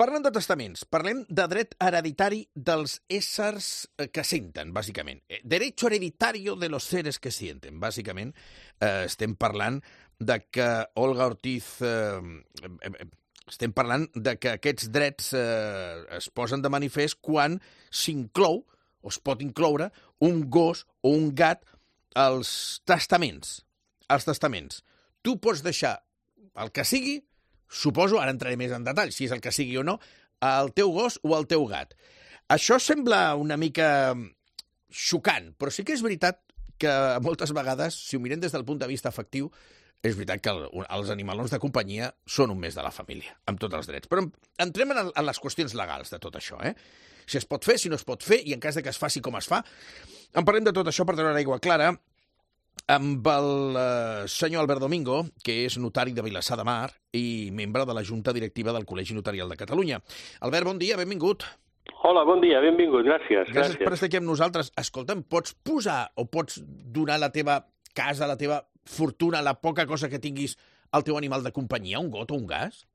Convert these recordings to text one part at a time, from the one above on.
Parlem de testaments, parlem de dret hereditari dels éssers que senten, bàsicament. Derecho hereditario de los seres que sienten, bàsicament. Estem parlant de que Olga Ortiz... estem parlant de que aquests drets es posen de manifest quan s'inclou, o es pot incloure, un gos o un gat als testaments. Als testaments. Tu pots deixar el que sigui, suposo, ara entraré més en detall, si és el que sigui o no, el teu gos o el teu gat. Això sembla una mica xocant, però sí que és veritat que moltes vegades, si ho mirem des del punt de vista afectiu, és veritat que els animalons de companyia són un mes de la família, amb tots els drets. Però entrem en les qüestions legals de tot això, Si es pot fer, si no es pot fer, i en cas de que es faci com es fa. En parlem de tot això per treure aigua clara amb el senyor Albert Domingo, que és notari de Vilassar de Mar i membre de la Junta Directiva del Col·legi Notarial de Catalunya. Albert, bon dia, benvingut. Hola, bon dia, benvingut, gràcies. Gràcies per estar aquí amb nosaltres. Escolta'm, pots posar o pots donar la teva casa, la teva fortuna, la poca cosa que tinguis al teu animal de companyia, un got o un gas?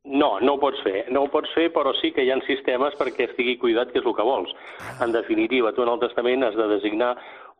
No, no ho pots fer. No ho pots fer, però sí que hi ha sistemes perquè estigui cuidat, que és el que vols. En definitiva, tu en el testament has de designar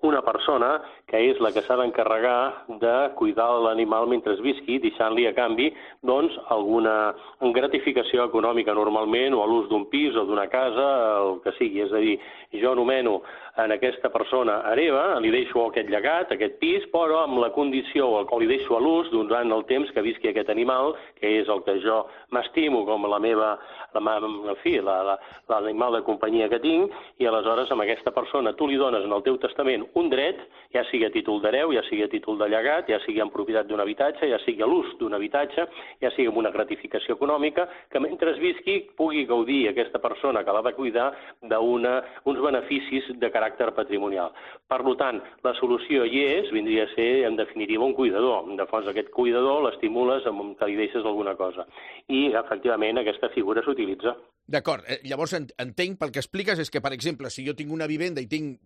una persona que és la que s'ha d'encarregar de cuidar l'animal mentre visqui, deixant-li a canvi doncs, alguna gratificació econòmica normalment, o a l'ús d'un pis o d'una casa, el que sigui. És a dir, jo nomeno en aquesta persona hereva, li deixo aquest llegat, aquest pis, però amb la condició, o li deixo a l'ús durant el temps que visqui aquest animal, que és el que jo m'estimo com la meva, en fi, l'animal de companyia que tinc, i aleshores amb aquesta persona tu li dones en el teu testament un dret, ja sigui a títol d'hereu, ja sigui a títol de llegat, ja sigui en propietat d'un habitatge, ja sigui a l'ús d'un habitatge, ja sigui amb una gratificació econòmica, que mentre visqui pugui gaudir aquesta persona que l'ha de cuidar d'uns beneficis de caràcter patrimonial. Per tant, la solució hi és, vindria a ser, en definitiva, un cuidador. De fons, aquest cuidador l'estimules amb que li deixes alguna cosa. I, efectivament, aquesta figura s'utilitza. D'acord. Llavors, entenc, pel que expliques, és que, per exemple, si jo tinc una vivenda i tinc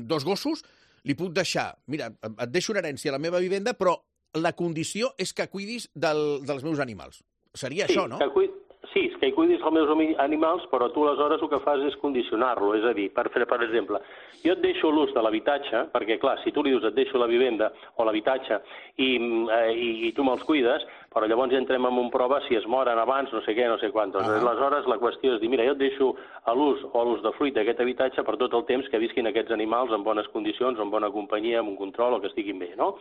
dos gossos, li puc deixar, mira, et deixo una herència a la meva vivenda, però la condició és que cuidis dels meus animals. Seria això, no? Sí, és que hi cuidis els meus animals, però tu aleshores el que fas és condicionar-lo. És a dir, per exemple, jo et deixo l'ús de l'habitatge, perquè, clar, si tu li dius et deixo la vivenda o l'habitatge i tu me'ls cuides, però llavors ja entrem en un prova si es moren abans, no sé què, no sé quantos. Aleshores, la qüestió és dir, mira, jo et deixo a l'ús o a l'ús de fruit d'aquest habitatge per tot el temps que visquin aquests animals en bones condicions, en bona companyia, amb un control, o que estiguin bé, no?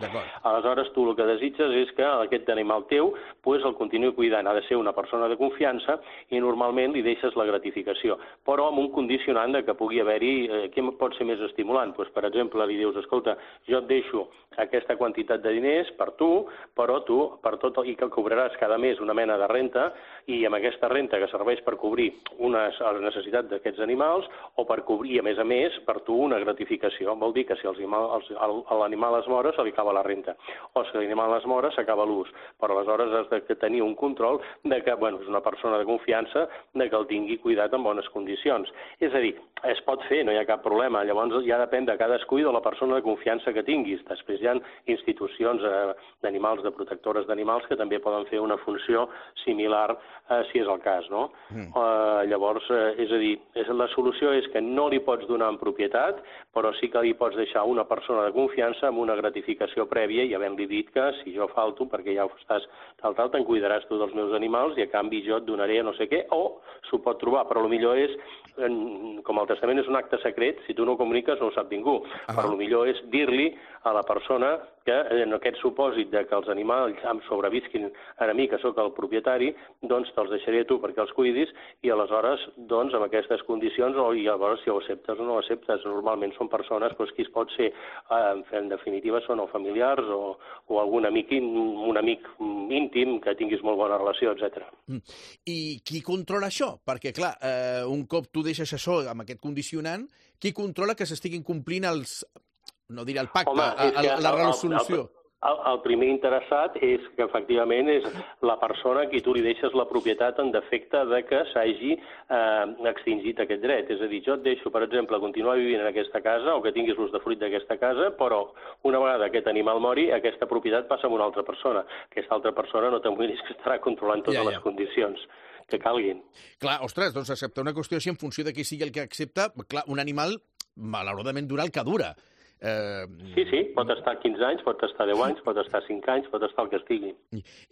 Aleshores, tu el que desitges és que aquest animal teu el continuï cuidant. Ha de ser una persona de confiança i normalment li deixes la gratificació, però amb un condicionant de que pugui haver-hi, què pot ser més estimulant? Per exemple, li dius, escolta, jo et deixo aquesta quantitat de diners per tu, però tu, per tot, i que cobraràs cada mes una mena de renta, i amb aquesta renta que serveix per cobrir les necessitats d'aquests animals, o per cobrir, a més, per tu una gratificació. Vol dir que si l'animal es mora, se li acaba la renta, o si l'animal es mora, s'acaba l'ús. Però aleshores has de tenir un control de que, és una persona de confiança, de que el tingui cuidat en bones condicions. És a dir, es pot fer, no hi ha cap problema. Llavors ja depèn de cadascú i de la persona de confiança que tinguis. Després hi ha institucions d'animals, de protectores d'animals, que també poden fer una funció similar, si és el cas, no? Llavors, és a dir, la solució és que no li pots donar en propietat, però sí que li pots deixar una persona de confiança amb una gratificació prèvia i havent-li dit que si jo falto, perquè ja ho estàs tal, te'n cuidaràs tu dels meus animals i a canvi jo et donaré no sé què, o s'ho pot trobar, però el millor és, com el testament és un acte secret, si tu no ho comuniques no ho sap ningú, però el millor és dir-li a la persona que en aquest supòsit de que els animals em sobrevisquin a mi, que sóc el propietari, doncs te'ls deixaré a tu perquè els cuidis i aleshores, doncs, amb aquestes condicions, i llavors si ho acceptes o no ho acceptes, normalment són persones qui es pot ser, en definitiva, són o familiars o algun amic, un amic íntim que tinguis molt bona relació, etc. I qui controla això? Perquè, clar, un cop tu deixes això amb aquest condicionant, qui controla que s'estiguin complint els... no diré el pacte, la resolució? El primer interessat és que, efectivament, és la persona a qui tu li deixes la propietat en defecte de que s'hagi extingit aquest dret. És a dir, jo et deixo, per exemple, continuar vivint en aquesta casa o que tinguis l'ús de fruit d'aquesta casa, però una vegada aquest animal mori, aquesta propietat passa a una altra persona. Aquesta altra persona no t'amoïnis que estarà controlant totes les condicions. que calguin. Clar, ostres, doncs acceptar una qüestió així en funció de qui sigui el que accepta, clar, un animal malauradament dura el que dura. Sí, pot estar 15 anys, pot estar 10 anys, pot estar 5 anys, pot estar el que estigui.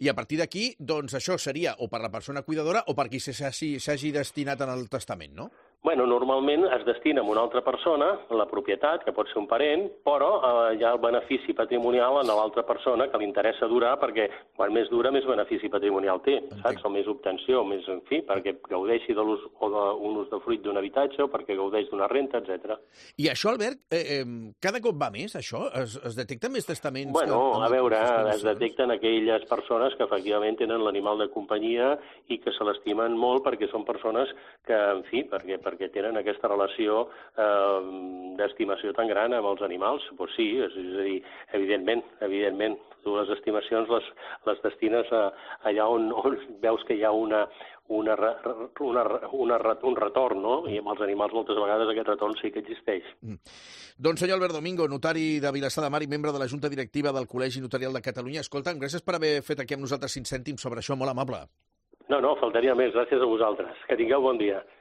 I a partir d'aquí, doncs això seria o per la persona cuidadora o per qui s'hagi destinat en el testament, no? Bueno, normalment es destina a una altra persona, la propietat, que pot ser un parent, però hi ha el benefici patrimonial en l'altra persona que li interessa durar, perquè quan més dura, més benefici patrimonial té, saps? O més obtenció, més, en fi, perquè gaudeixi de l'ús o d'un usdefruit d'un habitatge o perquè gaudeix d'una renta, etc. I això, Albert, cada cop va més, això? Es detecten més testaments? Bueno, a veure, es detecten aquelles persones que efectivament tenen l'animal de companyia i que se l'estimen molt perquè són persones que, en fi, perquè tenen aquesta relació d'estimació tan gran amb els animals. Doncs sí, és a dir, evidentment, tu les estimacions les destines allà on veus que hi ha un retorn, no? I amb els animals moltes vegades aquest retorn sí que existeix. Doncs senyor Albert Domingo, notari de Vilassar de Mar i membre de la Junta Directiva del Col·legi Notarial de Catalunya. Escolta'm, gràcies per haver fet aquí amb nosaltres 5 cèntims sobre això, molt amable. No, faltaria més. Gràcies a vosaltres. Que tingueu bon dia.